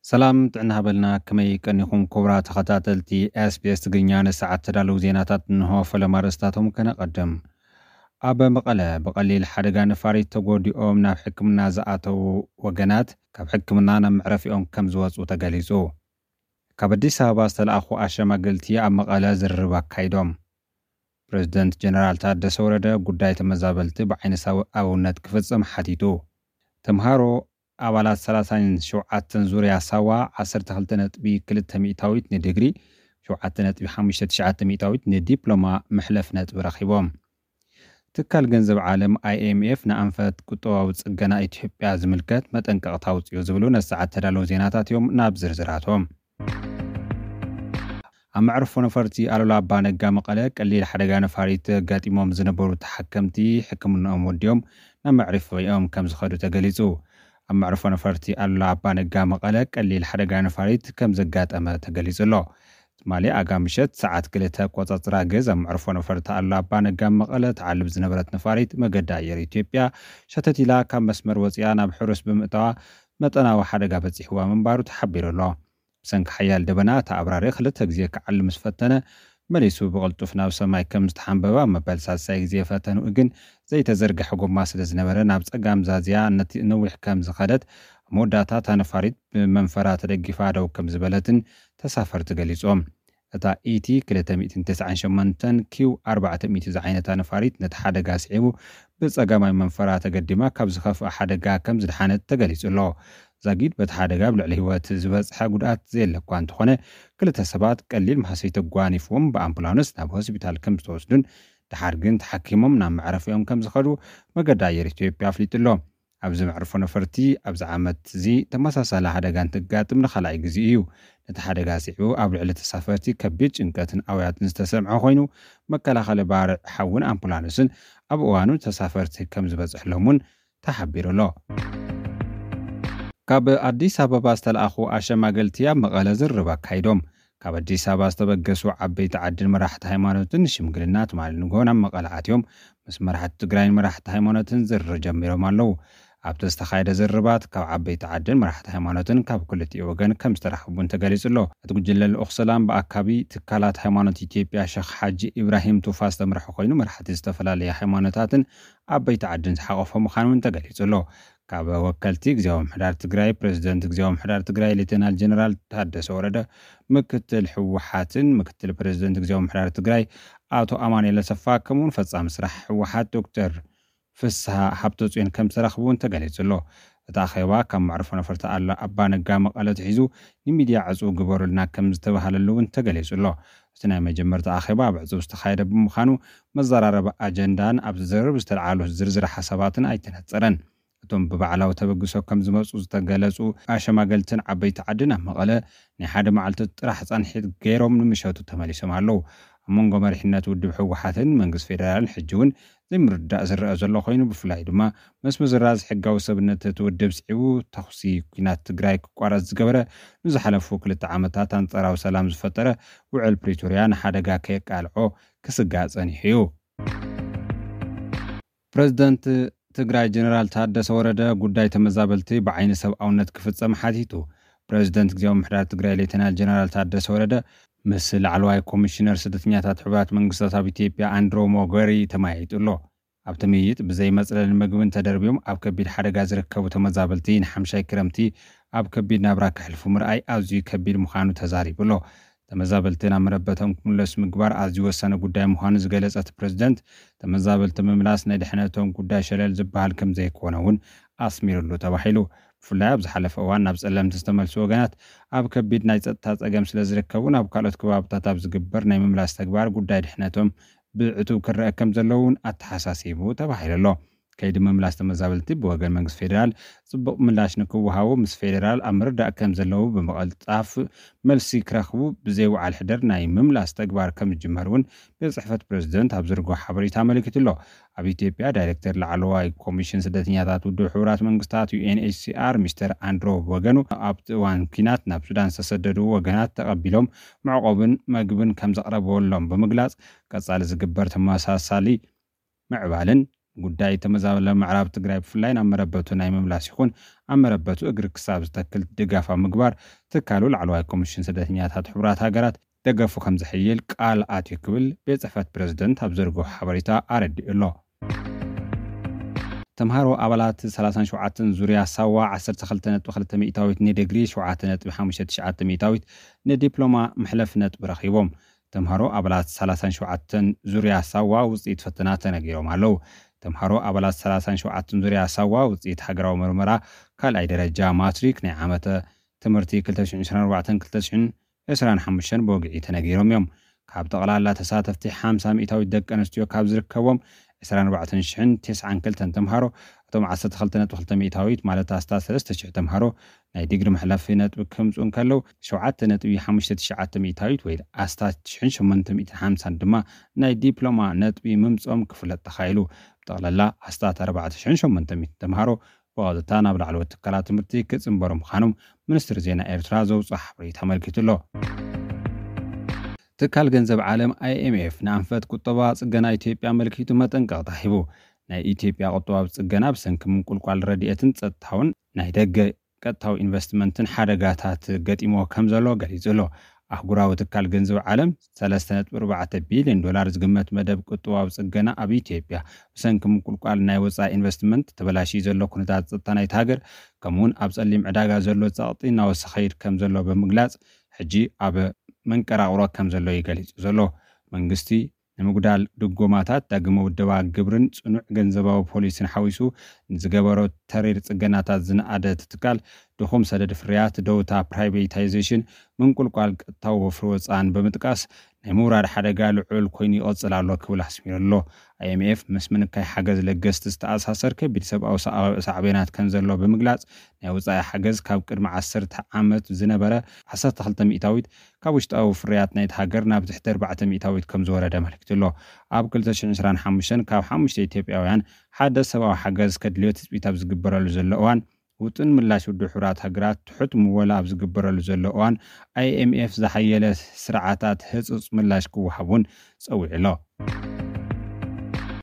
ሰላም ጥዕና ሃበልና፣ ከመይ ቀኒኹም ክቡራት ተኸታተልቲ ኤስቢኤስ ትግርኛ? ንሰዓት ተዳለዉ ዜናታት እንሆ። ፈለማ ርእስታቶም ከነቐድም። ኣብ መቐለ ብቐሊል ሓደጋ ነፋሪት ተጎዲኦም ናብ ሕክምና ዝኣተዉ ወገናት ካብ ሕክምና ናብ መዕረፊኦም ከም ዝወፁ ተገሊፁ። ካብ ኣዲስ ኣበባ ዝተለኣኹ ኣሸማገልቲ ኣብ መቐለ ዝርርብ ኣካይዶም። ፕሬዚደንት ጀነራል ታደሰ ወረደ ጉዳይ ተመዛበልቲ ብዓይነሳዊ ኣውነት ክፍፅም ሓቲቱ። ተምሃሮ ኣባላት ሰላሳን ሸውዓተን ዙርያ ሳዋ ዓሰርተ ክልተ ነጥቢ ክልተ ሚእታዊት ንዲግሪ፣ ሸውዓተ ነጥቢ ሓሙሽተ ትሽዓተ ሚእታዊት ንዲፕሎማ መሕለፍ ነጥቢ ረኺቦም። ትካል ገንዘብ ዓለም ኣይኤምኤፍ ንኣንፈት ቁጠባዊ ጽገና ኢትዮጵያ ዝምልከት መጠንቀቕታ ኣውጺኡ ዝብሉ ነሰዓት ተዳለዉ ዜናታት እዮም። ናብ ዝርዝራቶም። ኣብ መዕርፎ ነፈርቲ ኣሉላ ኣባ ነጋ መቐለ ቀሊል ሓደጋ ነፋሪት ኣጋጢሞም ዝነበሩ ተሓከምቲ ሕክምናኦም ወዲኦም ናብ መዕርፎኦም ከም ዝኸዱ ተገሊጹ። ኣብ መዕርፎ ነፈርቲ ኣሉላ ኣባ ነጋ መቐለ ቀሊል ሓደጋ ነፋሪት ከም ዘጋጠመ ተገሊጹ ኣሎ። ትማሊ ኣጋ ምሸት ሰዓት ክልተ ኣቆጻጽራ ገዝ ኣብ መዕርፎ ነፈርቲ ኣሉላ ኣባ ነጋ መቐለ ትዓልብ ዝነበረት ነፋሪት መገዲ ኣየር ኢትዮጵያ ሸተት ኢላ ካብ መስመር ወጺኣ ናብ ሕሩስ ብምእታዋ መጠናዊ ሓደጋ በጺሕዋ ምንባሩ ተሓቢሩ ኣሎ። ብሰንኪ ሓያል ደበና እታ ኣብራሪ ክልተ ግዜ ክዓሊ ምስ ፈተነ መሊሱ ብቕልጡፍ ናብ ሰማይ ከም ዝተሓንበበ ኣብ መበል ሳልሳይ ግዜ ፈተንኡ ግን ዘይተዘርግሐ ጎማ ስለ ዝነበረ ናብ ጸጋም ዛዝያ ነቲ ነዊሕ ከም ዝኸደት ኣብ መወዳእታ እታ ነፋሪት ብመንፈራ ተደጊፋ ደው ከም ዝበለትን ተሳፈርቲ ገሊጾም። እታ ኢቲ ክልተ ሚእትን ተስዓን ሸሞንተን ኪው ኣርባዕተ ሚእቲ ዝዓይነታ ነፋሪት ነቲ ሓደጋ ስዒቡ ብጸጋማይ መንፈራ ተገዲማ ካብ ዝኸፍኣ ሓደጋ ከም ዝድሓነት ተገሊጹ ኣሎ። ዛጊድ በቲ ሓደጋ ኣብ ልዕሊ ህይወት ዝበጽሐ ጉድኣት ዘየለ እኳ እንተኾነ ክልተ ሰባት ቀሊል ማህሰይቲ ጓኒፍዎም ብኣምቡላንስ ናብ ሆስፒታል ከም ዝተወስዱን ድሓር ግን ተሓኪሞም ናብ መዕረፊኦም ከም ዝኸዱ መገዲ ኣየር ኢትዮጵያ ኣፍሊጡ ኣሎ። ኣብዚ መዕርፎ ነፈርቲ ኣብዚ ዓመት እዚ ተመሳሳሊ ሓደጋ እንትጋጥም ንኻልኣይ ግዜ እዩ። ነቲ ሓደጋ ስዒቡ ኣብ ልዕሊ ተሳፈርቲ ከቢድ ጭንቀትን ኣውያትን ዝተሰምዐ ኮይኑ መከላኸሊ ባርዕ ሓውን ኣምቡላንስን ኣብ እዋኑ ተሳፈርቲ ከም ዝበፅሐሎም እውን ተሓቢሩ ኣሎ። ካብ ኣዲስ ኣበባ ዝተለኣኹ ኣሸማገልቲ ኣብ መቐለ ዝርርብ ኣካይዶም። ካብ ኣዲስ ኣበባ ዝተበገሱ ዓበይቲ ዓድን መራሕቲ ሃይማኖትን ንሽምግልና ትማሊ ንግሆ ናብ መቐለ ኣትዮም ምስ መራሕቲ ትግራይን መራሕቲ ሃይማኖትን ዝርርብ ጀሚሮም ኣለዉ። ኣብቲ ዝተኻየደ ዝርርባት ካብ ዓበይቲ ዓድን መራሕቲ ሃይማኖትን ካብ ክልቲኡ ወገን ከም ዝተረኸቡ እውን ተገሊጹ ኣሎ። እቲ ጉጅለ ልኡኽ ሰላም ብኣካቢ ትካላት ሃይማኖት ኢትዮጵያ ሸኽ ሓጂ ኢብራሂም ቱፋ ዝተመርሐ ኮይኑ መራሕቲ ዝተፈላለየ ሃይማኖታትን ዓበይቲ ዓድን ዝሓቆፈ ምዃኑ እውን ተገሊጹ ኣሎ። ካብ ወከልቲ ግዜያዊ ምምሕዳር ትግራይ ፕሬዚደንት ግዜያዊ ምምሕዳር ትግራይ ሌተናል ጀነራል ታደሰ ወረደ፣ ምክትል ህወሓትን ምክትል ፕሬዚደንት ግዜያዊ ምምሕዳር ትግራይ ኣቶ ኣማኑኤል ኣሰፋ ከምኡውን ፈጻሚ ስራሕ ህወሓት ዶክተር ፍስሃ ሃብተፅዮን ከም ዝተረኽቡ እውን ተገሊጹ ኣሎ። እቲ ኣኼባ ካብ መዕርፎ ነፈርቲ ኣሉላ ኣባ ነጋ መቐለ ትሒዙ ንሚድያ ዕጹው ግበሩልና ከም ዝተባሃለሉ እውን ተገሊጹ ኣሎ። እቲ ናይ መጀመርታ ኣኼባ ኣብ ዕጹው ዝተኻየደ ብምዃኑ መዘራረቢ ኣጀንዳን ኣብ ዝርርብ ዝተልዓሉ ዝርዝር ሓሳባትን ኣይተነጸረን። እቶም ብባዕላዊ ተበግሶ ከም ዝመጹ ዝተገለጹ ኣሸማገልትን ዓበይቲ ዓድን ኣብ መቐለ ናይ ሓደ መዓልቲ ጥራሕ ጻንሒት ገይሮም ንምሸቱ ተመሊሶም ኣለዉ። ኣብ መንጎ መሪሕነት ውድብ ህወሓትን መንግስቲ ፌደራልን ሕጂ እውን ዘይምርዳእ ዝረአ ዘሎ ኮይኑ ብፍላይ ድማ ምስ ምዝራዝ ሕጋዊ ሰብነት እቲ ውድብ ስዒቡ ተኹሲ ኲናት ትግራይ ክቋረጽ ዝገበረ ንዝሓለፉ ክልተ ዓመታት ኣንጻራዊ ሰላም ዝፈጠረ ውዕል ፕሪቶርያ ንሓደጋ ከየቃልዖ ክስጋእ ጸኒሑ እዩ። ፕሬዚደንት ትግራይ ጀነራል ታደሰ ወረደ ጉዳይ ተመዛበልቲ ብዓይኒ ሰብኣውነት ክፍጸም ሓቲቱ። ፕሬዚደንት ግዜያዊ ምምሕዳር ትግራይ ሌተናል ጀነራል ታደሰ ወረደ ምስ ላዕለዋይ ኮሚሽነር ስደተኛታት ሕቡራት መንግስታት ኣብ ኢትዮጵያ ኣንድሮ ሞገሪ ተመያይጡ ኣሎ። ኣብቲ ምይይጥ ብዘይ መጽለልን ምግብን ተደርብዮም ኣብ ከቢድ ሓደጋ ዝርከቡ ተመዛበልቲ ንሓምሻይ ክረምቲ ኣብ ከቢድ ናብራ ከሕልፉ ምርኣይ ኣዝዩ ከቢድ ምዃኑ ተዛሪቡ ኣሎ። ተመዛበልቲ ናብ መረበቶም ክምለሱ ምግባር ኣዝዩ ወሳኒ ጉዳይ ምዃኑ ዝገለጸ እቲ ፕሬዚደንት፣ ተመዛበልቲ ምምላስ ናይ ድሕነቶም ጉዳይ ሸለል ዝበሃል ከም ዘይኮነ እውን ኣስሚሩሉ ተባሂሉ። ብፍላይ ኣብ ዝሓለፈ እዋን ናብ ጸለምቲ ዝተመልሱ ወገናት ኣብ ከቢድ ናይ ጸጥታ ጸገም ስለ ዝርከቡ ናብ ካልኦት ከባብታት ኣብ ዝግበር ናይ ምምላስ ተግባር ጉዳይ ድሕነቶም ብዕቱብ ክረአ ከም ዘለዎ እውን ኣተሓሳሲቡ ተባሂሉ ኣሎ። ከይዲ ምምላስ ተመዛበልቲ ብወገን መንግስቲ ፌዴራል ጽቡቕ ምላሽ ንክወሃቦ ምስ ፌዴራል ኣብ ምርዳእ ከም ዘለዉ ብምቕልጣፍ መልሲ ክረኽቡ ብዘይ ወዓል ሕደር ናይ ምምላስ ተግባር ከም ዝጅመር እውን ቤት ጽሕፈት ፕሬዚደንት ኣብ ዝርግሖ ሓበሬታ ኣመልኪቱ ኣሎ። ኣብ ኢትዮጵያ ዳይሬክተር ላዕለዋይ ኮሚሽን ስደተኛታት ውድብ ሕቡራት መንግስታት ዩ ኤን ኤች ሲ ኣር ሚስተር ኣንድሮ ብወገኑ ኣብቲ እዋን ኲናት ናብ ሱዳን ዝተሰደዱ ወገናት ተቐቢሎም መዕቆብን መግብን ከም ዘቕረበሎም ብምግላጽ ቀጻሊ ዝግበር ተመሳሳሊ ምዕባልን ጉዳይ ተመዛበለ ምዕራብ ትግራይ ብፍላይ ናብ መረበቱ ናይ ምምላስ ይኹን ኣብ መረበቱ እግሪ ክሳብ ዝተክል ድጋፍ ኣብ ምግባር ትካሉ ላዕለዋይ ኮሚሽን ስደተኛታት ሕቡራት ሃገራት ደገፉ ከም ዝሕይል ቃል ኣትዩ ክብል ቤት ጽሕፈት ፕሬዝደንት ኣብ ዘርግሑ ሓበሬታ ኣረዲኡ ኣሎ። ተምሃሮ ኣባላት ሰላሳን ሸውዓተን ዙርያ ሳዋ ዓሰርተ ክልተ ነጥቢ ክልተ ሚእታዊት ንዲግሪ፣ ሸውዓተ ነጥቢ ሓሙሽተ ትሽዓተ ሚእታዊት ንዲፕሎማ መሕለፊ ነጥቢ ረኺቦም። ተምሃሮ ኣባላት ሰላሳን ሸውዓተን ዙርያ ሳዋ ውፅኢት ፈተና ተነጊሮም ኣለዉ። ተምሃሮ ኣባላት ሰላሳን ሸውዓተን ዙርያ ሳዋ ውፅኢት ሃገራዊ ምርመራ ካልኣይ ደረጃ ማትሪክ ናይ ዓመተ ትምህርቲ ክልተ ሽሕን ዕስራን ኣርባዕተን ክልተ ሽሕን ዕስራን ሓሙሽተን ብወግዒ ተነጊሮም እዮም። ካብ ጠቕላላ ተሳተፍቲ ሓምሳ ሚእታዊት ደቂ ኣንስትዮ ካብ ዝርከቦም ዕስራን ኣርባዕተን ሽሕን ተስዓን ክልተን ተምሃሮ፣ እቶም ዓሰርተ ክልተ ነጥቢ ክልተ ሚእታዊት ማለት ኣስታት ሰለስተ ሽሕ ተምሃሮ ናይ ዲግሪ መሕለፊ ነጥቢ ከምፅኡ እንከለዉ፣ ሸውዓተ ነጥቢ ሓሙሽተ ትሽዓተ ሚእታዊት ወይ ኣስታት ሽሕን ሸሞንተ ሚእትን ሓምሳን ድማ ናይ ዲፕሎማ ነጥቢ ምምፅኦም ክፍለጥ ተኻኢሉ። ብጠቕላላ ኣስታት ኣርባዕተ ሽሕን ሸሞንተ ሚእትን ተምሃሮ ብቐጥታ ናብ ላዕለዎት ትካላት ትምህርቲ ክፅንበሩ ምዃኖም ሚኒስትሪ ዜና ኤርትራ ዘውፅኦ ሓበሬታ ኣመልኪቱ ኣሎ። ትካል ገንዘብ ዓለም ኣይኤምኤፍ ንኣንፈት ቁጠባ ጽገና ኢትዮጵያ ኣመልኪቱ መጠንቀቕታ ሂቡ። ናይ ኢትዮጵያ ቁጠባዊ ጽገና ብሰንኪ ምንቁልቋል ረድኤትን ጸጥታውን ናይ ደገ ቀጥታዊ ኢንቨስትመንትን ሓደጋታት ገጢሞ ከም ዘሎ ገሊጹ ኣሎ። ኣህጉራዊ ትካል ገንዘብ ዓለም ሰለስተ ነጥቢ ኣርባዕተ ቢልዮን ዶላር ዝግመት መደብ ቁጠባዊ ጽገና ኣብ ኢትዮጵያ ብሰንኪ ምንቁልቋል ናይ ወጻኢ ኢንቨስትመንት፣ ተበላሽዩ ዘሎ ኩነታት ጸጥታ ናይቲ ሃገር፣ ከምኡውን ኣብ ጸሊም ዕዳጋ ዘሎ ጸቕጢ እናወሰኸ ይድ ከም ዘሎ ብምግላጽ፣ ሕጂ ኣብ መንቀራቕሮ ከም ዘሎ እዩ ገሊጹ ዘሎ። መንግስቲ ንምጉዳል ድጎማታት፣ ዳግመ ውደባ ግብርን ጽኑዕ ገንዘባዊ ፖሊሲን ሓዊሱ ንዝገበሮ ተሪር ጽገናታት ዝነኣደ እቲ ትካል፣ ድኹም ሰደድ ፍርያት፣ ደውታ ፕራይቬታይዜሽን፣ ምንቁልቋል ቀጥታዊ ወፍሪ ወጻእን ብምጥቃስ፣ ናይ ምውራድ ሓደጋ ልዑል ኮይኑ ይቕጽል ኣሎ ክብል ኣስሚሩ ኣሎ። ኣይኤምኤፍ ምስ ምንካይ ሓገዝ ለገስቲ ዝተኣሳሰር ከቢድ ሰብኣዊ ሳዕ-፣ ሳዕቤናት ከም ዘሎ ብምግላጽ፣ ናይ ወጻኢ ሓገዝ ካብ ቅድሚ ዓሰርተ ዓመት ዝነበረ ዓሰርተ ክልተ ሚእታዊት ካብ ውሽጣዊ ፍርያት ናይቲ ሃገር ናብ ትሕቲ ኣርባዕተ ሚእታዊት ከም ዝወረደ ኣመልኪቱ ኣሎ። ኣብ ክልተ ሽሕን ዕስራን ሓሙሽተን ካብ ሓሙሽተ ኢትዮጵያውያን ሓደ ሰብኣዊ ሓገዝ ከድልዮ ትጽቢት ኣብ ዝግበረሉ ዘሎ እዋን፣ ውጥን ምላሽ ውድብ ሕቡራት ሃገራት ትሑት ምወላ ኣብ ዝግበረሉ ዘሎ እዋን፣ ኣይኤምኤፍ ዝሓየለ ስርዓታት ህጹጽ ምላሽ ክወሃብ እውን ጸዊዑ ኣሎ።